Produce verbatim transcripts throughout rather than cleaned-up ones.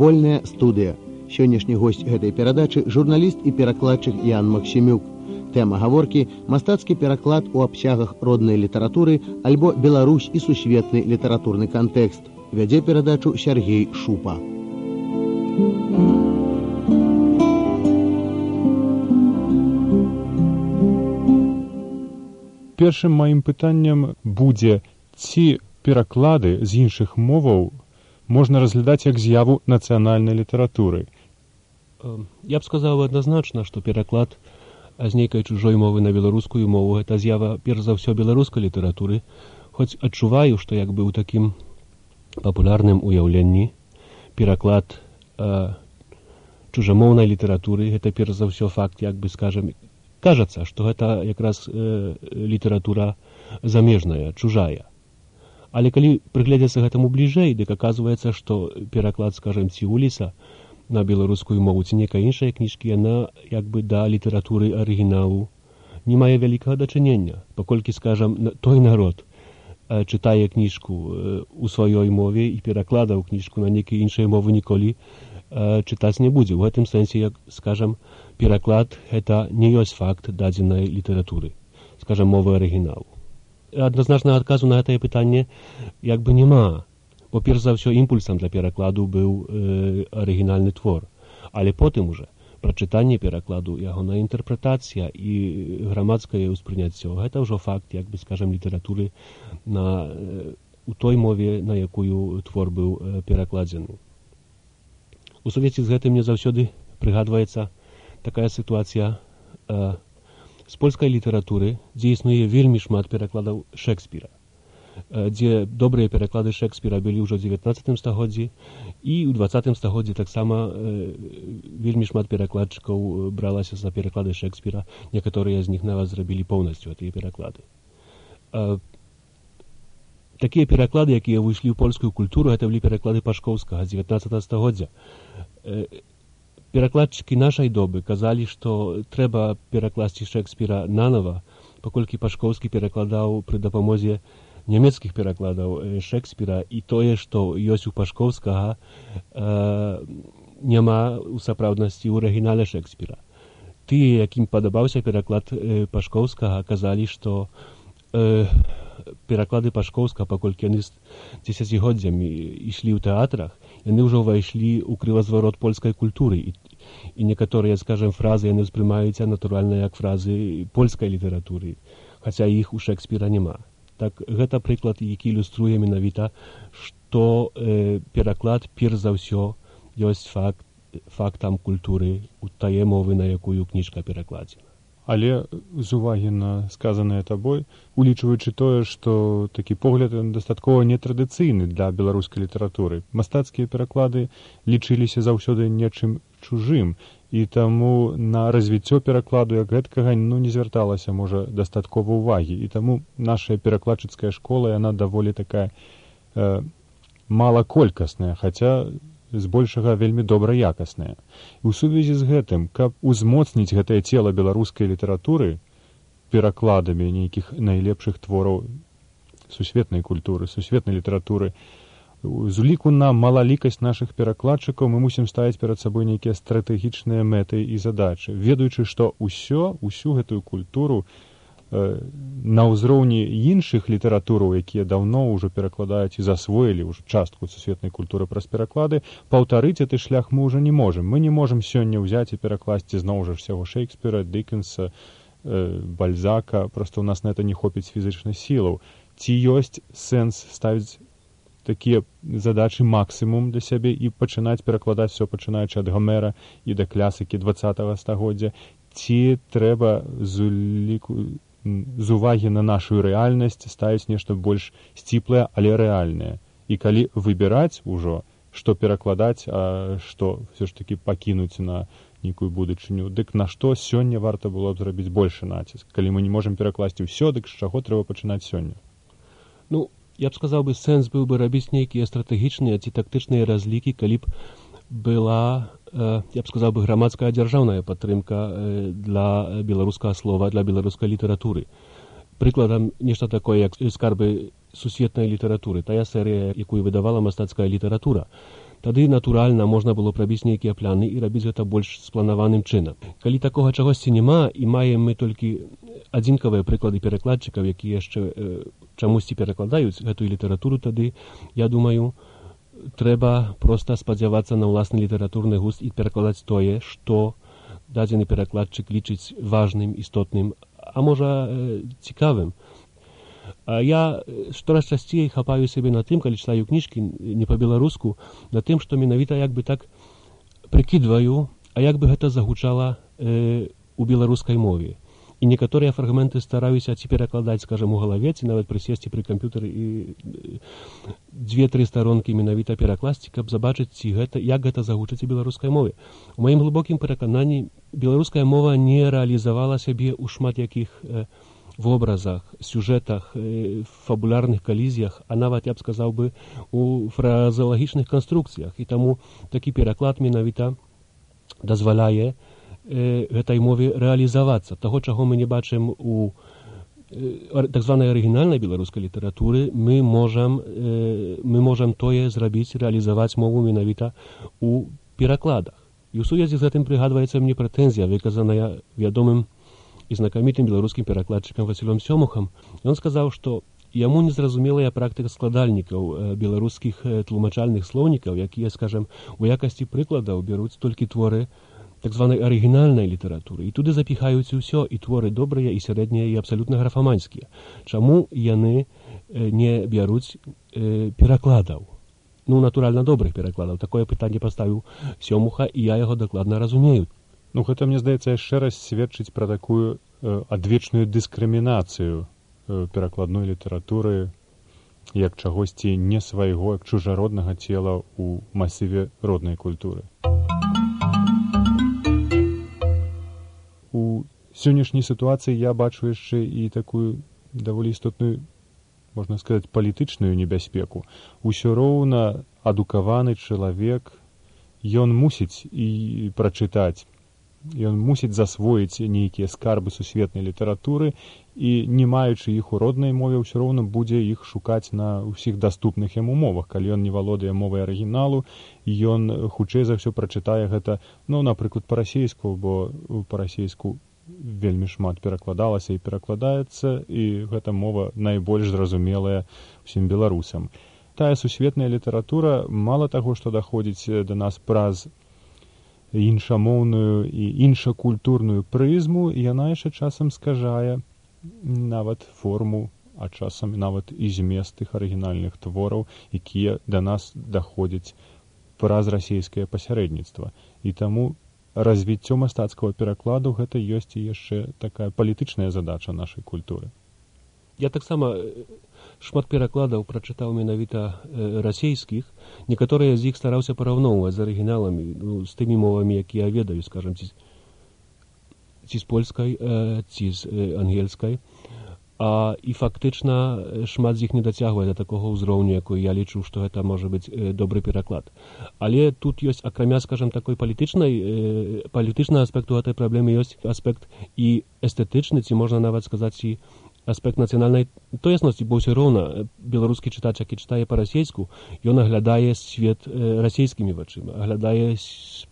Вольная студыя. Сённяшні госць гэтай перадачы журналіст і перакладчык Ян Максімюк. Тэма гаворкі мастацкі пераклад у абсягах роднай літаратуры альбо Беларусь і сусветны літаратурны кантэкст. Вядзе перадачу Сергей Шупа. Першым маім пытаннем будзе, ці пераклады з іншых моваў можна разглядаць як з'яву нацыянальнай літаратуры. Я б сказаў адназначна, што пераклад з нейкай чужой мовы на беларускую мову гэта з'ява перш за ўсё беларускай літаратуры, хоць адчуваю, што як бы ў такім папулярным уяўленні пераклад э, чужамоўнай літаратуры гэта перш за ўсё факт, як бы скажем, кажацца, што гэта якраз э, літаратура замежная, чужая. Але калі прыгледзецца гэтаму бліжэй, дык аказваецца, што пераклад, скажем, Ціуліса на беларускую мову ці нейкай іншай кніжкі, яна як бы да літаратуры арыгіналу не мае вялікага дачынення, паколькі, скажем, той народ э, чытае кніжку э, у сваёй мове і перакладаў кніжку на нейкай іншай мовы ніколі э, чытаць не будзе. У гэтым сэнсе, як, скажем, пераклад гэта не ёсць факт дадзенай літаратуры, скажем, мовы арыгіналу. Адназначнага адказу на гэтае пытанне як бы няма, бо перш за ўсё імпульсам для перакладу быў э, арыгінальны твор, але потым уже прачытанне перакладу, ягоная інтэрпрэтацыя і грамадскае ўспрыняццё гэта ўжо факт, як бы скажем, літаратуры на э, у той мове, на якую твор быў э, перакладзены. У сувязі з гэтым мне заўсёды прыгадваецца такая сітуацыя э, з польскай літаратуры, дзе існуе вельмі шмат перакладаў Шекспіра, э, дзе добрыя пераклады Шекспіра былі ўжо ў дзевятнаццатым стагоддзі, і ў дваццатым стагоддзі таксама э, вельмі шмат перакладчыкаў бралася за пераклады Шекспіра, некаторыя з них нават зрабілі поўнасцю гэтыя пераклады. Э, такія пераклады, якія выйшлі ў польскую культуру, гэта былі пераклады Пашкоўскага з дзевятнаццатага стагоддзя. Э, Перакладчыкі нашай добы казалі, што трэба перакласці Шекспіра нанова, паколькі Пашкоўскі перакладаў пры дапамозе нямецкіх перакладаў Шекспіра, і тое, што ёсць у Пашкоўскага, э, няма ў сапраўднасці ў арыгінале Шекспіра. Тыя, якім падабаўся пераклад э, Пашкоўскага, казалі, што э, пераклады Пашкоўска, паколькі яны з дзесяцігоддзямі ішлі ў тэатрах, яны ўжо ўвайшлі ў крывазварот польскай культуры, і, і некаторыя, скажем, фразы яны ўспрымаюцца натуральна як фразы польскай літаратуры, хаця іх у Шекспіра няма. Так, гэта прыклад, які ілюструе менавіта, што э, пераклад перш за ўсё ёсць факт, фактам культуры у тае мовы, на якую кніжка перакладзена. Але з увагі на сказанае табой, улічваючы тое, што такі погляд дастаткова нетрадыцыйны для беларускай літаратуры. Мастацкія пераклады лічыліся заўсёды нечым чужым, і таму на развіццё перакладу як гэткага ну, не звярталася, можа, дастаткова ўвагі. І таму наша перакладчыцкая школа, яна даволі такая э, малаколькасная, хаця збольшага вельмі добраякасныя. І ў сувязі з гэтым, каб узмоцніць гэтае цела беларускай літаратуры перакладамі нейкіх найлепшых твораў сусветнай культуры, сусветнай літаратуры, з уліку на малалікасць нашых перакладчыкаў мы мусім ставіць перад сабой нейкія стратэгічныя мэты і задачы, ведаючы, што ўсё, усю гэтую культуру на ўзроўні іншых літаратураў, якія даўно ўжо перакладаюць і засвоілі ўжо частку сусветнай культуры праз пераклады, паўтарыць гэты шлях мы ўжо не можам. Мы не можам сёння ўзяць і перакласці зноў жа ўсяго Шекспіра, Дыкенса, э, Бальзака, проста ў нас на это не хопіць фізычных сілаў. Ці ёсць сэнс ставіць такія задачы максімум для сябе і пачынаць перакладаць все, пачынаючы ад Гомера і да клясыкі дваццатага стагоддзя? Ці трэба з уліку з увагі на нашу рэальнасць ставіць нешта больш сціплае, але рэальнае. І калі выбіраць ужо, што перакладаць, а што все ж таки пакінуць на нейкую будучыню, дык на што сёння варта было б зрабіць большы націск? Калі мы не можам перакласці ўсё, дык з чаго трэба пачынаць сёння? Ну, я б сказаў бы, сэнс быў бы рабіць нейкія стратэгічныя ці тактычныя разлікі, калі б была, я б сказаў бы, грамадская дзяржаўная падтрымка для беларускага слова, для беларускай літаратуры. Прыкладам, нешта такое, як скарбы сусветнай літаратуры, тая серыя, якую выдавала мастацкая літаратура. тады натуральна можна было прабіць нейкія пляны і рабіць гэта больш спланаваным чынам. Калі такога чагосьці няма і маем мы толькі адзінкавыя прыклады перакладчыкаў, якія яшчэ э, чамусьці перакладаюць гэтую літаратуру, тады, я думаю, трэба проста спадзявацца на ўласны літаратурны густ і перакладаць тое, што дадзены перакладчык лічыць важным, істотным, а можа э, цікавым. А я штораз часцей хапаю сябе на тым, калі чытаю кніжкі не па-беларуску, на тым, што менавіта як бы так прыкідваю, а як бы гэта загучала э, у беларускай мове. І некаторыя фрагменты стараюся ці перакладаць, скажем, у галаве, ці нават прысесці пры камп'ютары і дзве-тры старонкі менавіта перакласці, каб забачыць, ці гэта, як гэта загучыць у беларускай мове. У маім глыбокім перакананні беларуская мова не рэалізавала сябе ў шмат якіх э, вобразах, сюжэтах, э, фабулярных калізіях, а нават, я б сказаў бы, у фразеалагічных канструкцыях. І таму такі пераклад менавіта дазваляе э, гэтай мове рэалізавацца. Таго, чаго мы не бачым у э, так званай арыгінальнай беларускай літаратуры, мы можам, э, мы можам тое зрабіць, рэалізаваць мову менавіта у перакладах. І ў сувязі з гэтым прыгадваецца мне прэтэнзія, выказаная вядомым і знакамітым беларускім перакладчыкам Васілём Сёмухам. Ён сказаў, што яму незразумелая практыка складальнікаў беларускіх тлумачальных слоўнікаў, якія, скажем, у якасці прыкладаў бяруць толькі творы так званай арыгінальнай літаратуры. І туды запіхаюць усё, і творы добрыя, і сярэднія, і абсалютна графаманскія. Чаму яны не бяруць э, перакладаў? Ну, натуральна, добрых перакладаў. Такое пытанне паставіў Сёмуха, і я яго дакладна разумею. Ну, гэта, мне здаецца, яшчэ раз сведчыць пра такую э, адвечную дыскрымінацыю э, перакладной літаратуры як чагосьці не свайго, як чужароднага цела ў масіве роднай культуры. У сённяшняй сітуацыі я бачу яшчэ і такую даволі істотную, можна сказаць, палітычную небяспеку. Усё роўна адукаваны чалавек, ён мусіць і прачытаць, ён мусіць засвоіць нейкія скарбы сусветнай літаратуры і, не маючы іх у роднай мове, ўсё роўна будзе іх шукаць на ўсіх даступных яму мовах. Калі ён не валодае мовай арыгіналу, ён хутчэй за ўсё прачытае гэта, ну, напрыклад, па-расейску, бо па-расейску вельмі шмат перакладалася і перакладаецца, і гэта мова найбольш зразумелая ўсім беларусам. Тая сусветная літаратура, мала таго, што даходзіць да нас праз іншамоўную і іншакультурную прызму, яна яшчэ часам скажае нават форму, а часам нават і змест тых арыгінальных твораў, якія да нас даходзяць праз расійскае пасярэдніцтва. І таму развіццё мастацкага перакладу гэта ёсць і яшчэ такая палітычная задача нашай культуры. Я таксама шмат перакладаў прачытаў менавіта э, расейскіх. Некаторыя з іх стараўся параўноўваць з арыгіналамі, ну, з тымі мовамі, якія я ведаю, скажам, ці, ці з польскай, э, ці з э, ангельскай. А, і фактычна шмат з іх не дацягвае да такога ўзроўню, якой я лічу, што гэта можа быць э, добры пераклад. Але тут ёсць, акрамя, скажам, такой палітычнай, э, палітычнага аспекту гэтай праблемы, ёсць аспект і эстэтычны, ці можна нават сказаць, і аспект нацыянальнай тоеснасці, бо ўсё роўна беларускі чытач, які чытае па-расейску, ён аглядае свет э, расейскімі вачыма, аглядае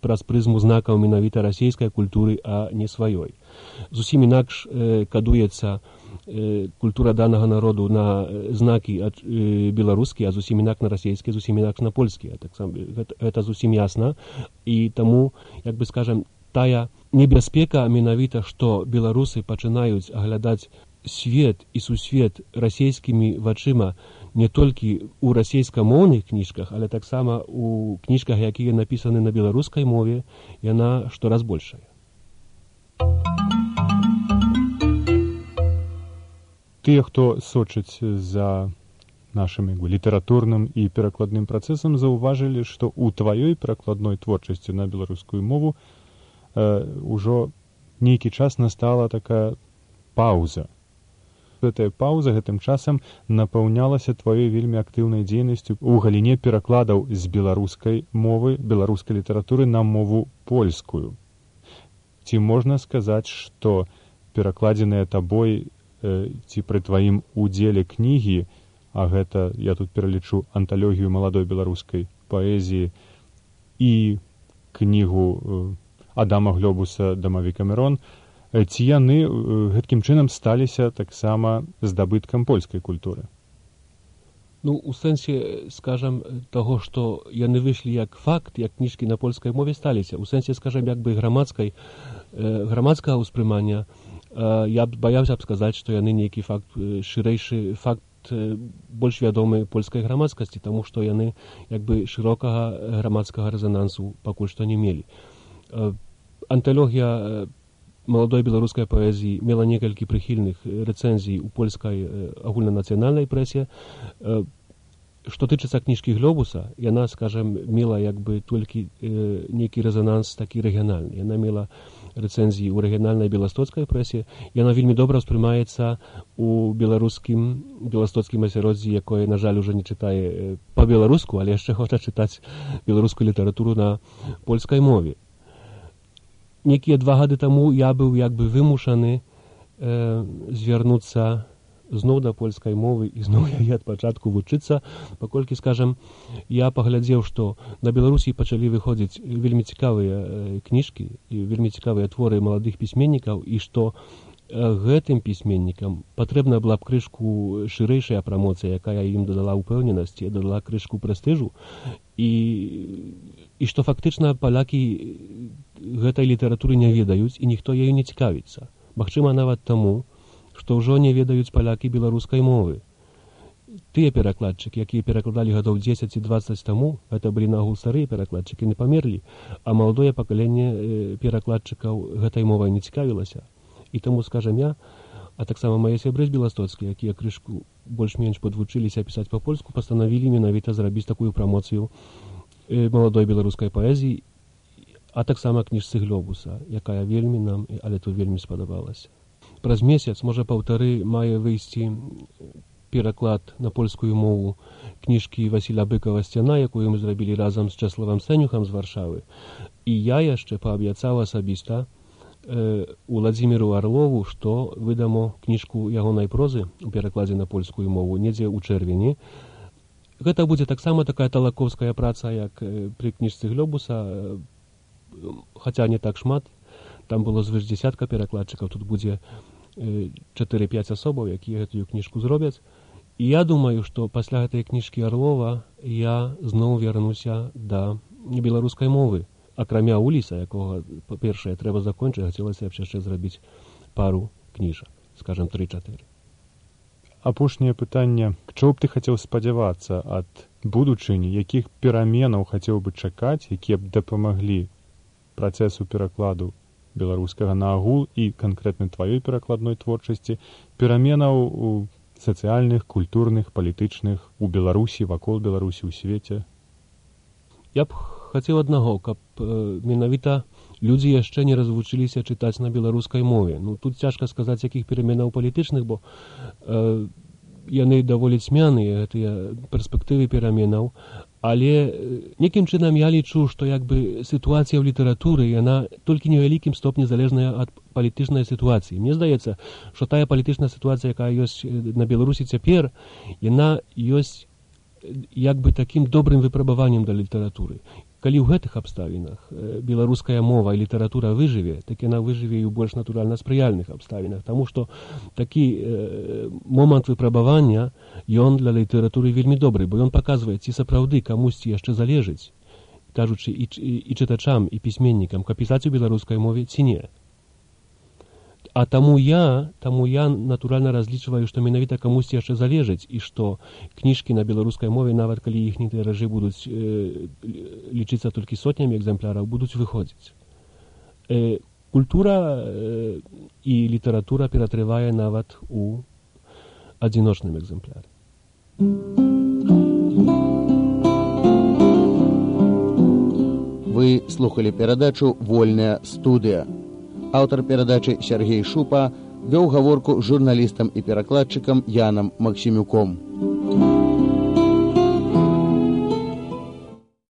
праз прызму знакаў менавіта расейскай культуры, а не сваёй. Зусім інакш э, кадуецца э, культура данага народу на знакі ад, э, беларускія, а зусім інакш на расейскія, зусім інакш на польскія. Так сам, гэта, гэта зусім ясна. І таму, як бы скажам, тая небяспека менавіта, што беларусы пачынаюць аглядаць свет і сусвет расейскімі вачыма не толькі ў расейскамоўных кніжках, але таксама ў кніжках, якія напісаны на беларускай мове, яна штораз большая. Тыя, хто сочыць за нашым літаратурным і перакладным працэсам, заўважылі, што ў тваёй перакладной творчасці на беларускую мову э, ўжо нейкі час настала такая паўза. Гэтая паўза гэтым часам напаўнялася тваёй вельмі актыўнай дзейнасцю ў галіне перакладаў з беларускай мовы, беларускай літаратуры на мову польскую. Ці можна сказаць, што перакладзеныя табой э, ці пры тваім удзеле кнігі, а гэта, я тут пералічу анталогію маладой беларускай паэзіі, і кнігу Адама Глёбуса «Дамавік Камерон», ці яны гэткім чынам сталіся таксама здабыткам польскай культуры? Ну, у сэнсе, скажам, таго, што яны выйшлі як факт, як кніжкі на польскай мове сталіся. У сэнсе, скажам, як бы грамадскай, э, грамадскага ўспрымання, э, я б баяўся б сказаць, што яны нейкі факт, шырэйшы факт, э, больш вядомы польскай грамадскасці, таму што яны як бы шырокага грамадскага рэзанансу пакуль што не мелі. Э, анталогія маладой беларускай паэзіі мела некалькі прыхільных рэцэнзій у польскай агульнанацыянальнай прэсе. Што тычыцца кніжкі Глёбуса, яна, скажам, мела як бы толькі э, нейкі рэзананс такі рэгіянальны. Яна мела рэцэнзіі ў рэгіянальнай беластоцкай прэсе. Яна вельмі добра ўспрымаецца у беларускім беластоцкім асяроддзі, якое, на жаль, уже не чытае па-беларуску, але яшчэ хоча чытаць беларускую літаратуру на польскай мове. Некія два гады таму я быў як бы вымушаны э, звярнуцца зноў да польскай мовы і зноў яе ад пачатку вучыцца, паколькі, скажам, я паглядзеў, што на Беларусі пачалі выходзіць вельмі цікавыя э, кніжкі і вельмі цікавыя творы маладых пісьменнікаў, і што э, гэтым пісьменнікам патрэбна была б крышку шырэйшая прамоцыя, якая ім дадала ўпэўненасці, дадала крышку прэстыжу, і, і што фактычна палякі гэтай літаратуры не ведаюць і ніхто ею не цікавіцца. Магчыма, нават таму, што ўжо не ведаюць палякі беларускай мовы. Тыя перакладчыкі, якія перакладалі гадоў дзесяць і дваццаць таму, гэта былі нагул старыя перакладчыкі, не памерлі, а маладое пакаленне перакладчыкаў гэтай мовай не цікавілася. І таму, скажам я, а таксама мае сябры з беластоцкія, якія крышку больш-менш падвучыліся пісаць па-польску, пастанавілі менавіта зрабіць такую прамоцыю маладой беларускай паэзіі, а таксама кніжцы Глёбуса, якая вельмі нам, але тут вельмі спадабалася. Праз месяц, можа паўтары, мае выйсці пераклад на польскую мову кніжкі Васіля Быкава «Сцяна», якую мы зрабілі разам з Чэславам Сцэнюхам з Варшавы. І я яшчэ паабяцаў асабіста э, Уладзіміру Арлову, што выдамо кніжку ягонай прозы у перакладзе на польскую мову недзе ў чэрвені. Гэта будзе таксама такая талакоўская праца, як э, пры кніжцы Глёбуса, хаця не так шмат, там было звыш дзесятка перакладчыкаў, тут будзе чатыры-пяць асобаў, якія гэтую кніжку зробяць. І я думаю, што пасля гэтай кніжкі Арлова я зноў вярнуся да беларускай мовы. Акрамя Уліса, якога, па-першае, трэба закончыць, хацелася б яшчэ зрабіць пару кніжак, скажам, тры-чатыры. Апошняе пытанне. Чого б ты хацеў спадзявацца ад будучыні, якіх пераменаў хацеў бы чакаць, якія б дапамаглі працэсу перакладу беларускага на агул і канкрэтна тваёй перакладной творчасці, пераменаў у сацыяльных, культурных, палітычных у Беларусі, вакол Беларусі, у свеце? Я б хацеў аднаго, каб э, менавіта людзі яшчэ не развучыліся чытаць на беларускай мове. Ну, тут цяжка сказаць, якіх пераменаў палітычных, бо э, яны даволі цьмяныя, гэтыя перспектывы пераменаў, але некім чынам я лічу, што як бы сітуацыя ў літаратуры, яна толькі невялікім стопні залежная ад палітычнай сітуацыі. Мне здаецца, што тая палітычная сітуацыя, якая ёсць на Беларусі цяпер, яна ёсць як бы такім добрым выпрабаваннем для літаратуры. Калі ў гэтых абставінах беларуская мова і літаратура выжыве, так яна выжыве і ў больш натуральна спрыяльных абставінах, таму што такі э, момант выпрабавання, ён для літаратуры вельмі добры, бо ён паказвае, ці сапраўды камусьці яшчэ залежыць, кажучы і, і, і чытачам, і пісьменнікам, каб пісаць у беларускай мове ці не. А таму я, таму я натуральна разлічваю, што менавіта камусьці яшчэ залежыць, і што кніжкі на беларускай мове, нават калі іхнія тыражы будуць э, лічыцца толькі сотнямі экземпляраў, будуць выходзіць. Э, культура э, і літаратура ператрывае нават у адзіночным экземпляры. Вы слухали перадачу «Вольная студыя». Аўтар перадачы Сергей Шупа вёў гаворку з журналістам і перакладчыкам Янам Максімюком.